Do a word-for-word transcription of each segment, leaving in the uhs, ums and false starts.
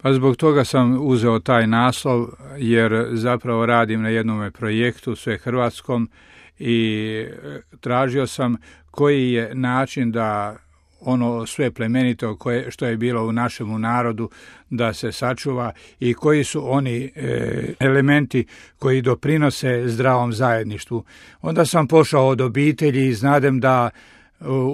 Pa zbog toga sam uzeo taj naslov, jer zapravo radim na jednom projektu svehrvatskom i tražio sam koji je način da ono sve plemenito koje, što je bilo u našemu narodu da se sačuva i koji su oni e, elementi koji doprinose zdravom zajedništvu. Onda sam pošao od obitelji i znadem da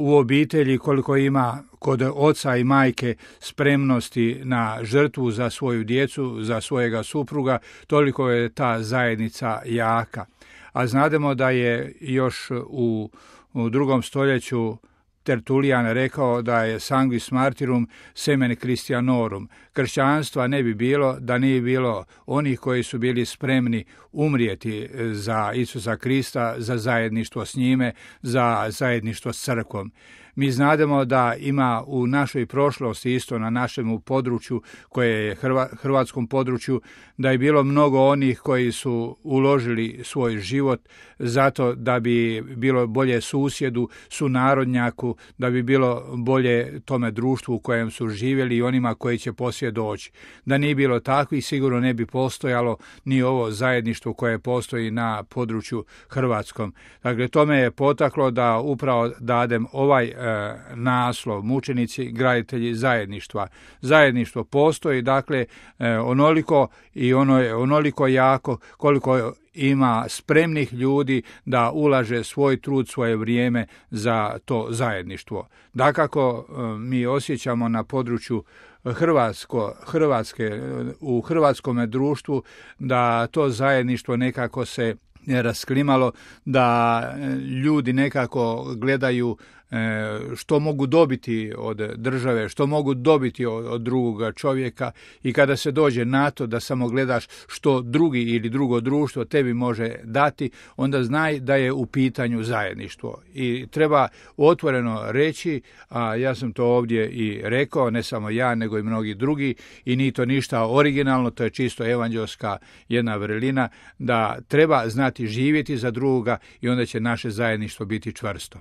u obitelji koliko ima kod oca i majke spremnosti na žrtvu za svoju djecu, za svojega supruga, toliko je ta zajednica jaka. A znademo da je još u, u drugom stoljeću Tertulijan rekao da je sanguis martyrum semen Christianorum. Kršćanstva ne bi bilo da nije bilo onih koji su bili spremni umrijeti za Isusa Krista, za zajedništvo s njime, za zajedništvo s crkvom. Mi znademo da ima u našoj prošlosti, isto na našem području, koje je Hrva, hrvatskom području, da je bilo mnogo onih koji su uložili svoj život zato da bi bilo bolje susjedu, sunarodnjaku, da bi bilo bolje tome društvu u kojem su živjeli i onima koji će poslije doći. Da nije bilo takvih, sigurno ne bi postojalo ni ovo zajedništvo koje postoji na području hrvatskom. Dakle, to me je potaklo da upravo dadem ovaj e, naslov, mučenici, graditelji zajedništva. Zajedništvo postoji, dakle, e, onoliko i ono je onoliko jako koliko ima spremnih ljudi da ulaže svoj trud, svoje vrijeme za to zajedništvo. Dakako, mi osjećamo na području Hrvatsko, Hrvatske, u hrvatskome društvu da to zajedništvo nekako se rasklimalo, da ljudi nekako gledaju što mogu dobiti od države, što mogu dobiti od, od drugoga čovjeka i kada se dođe na to da samo gledaš što drugi ili drugo društvo tebi može dati, onda znaj da je u pitanju zajedništvo. I treba otvoreno reći, a ja sam to ovdje i rekao, ne samo ja, nego i mnogi drugi, i nije to ništa originalno, to je čisto evanđelska jedna vrlina, da treba znati živjeti za drugoga i onda će naše zajedništvo biti čvrsto.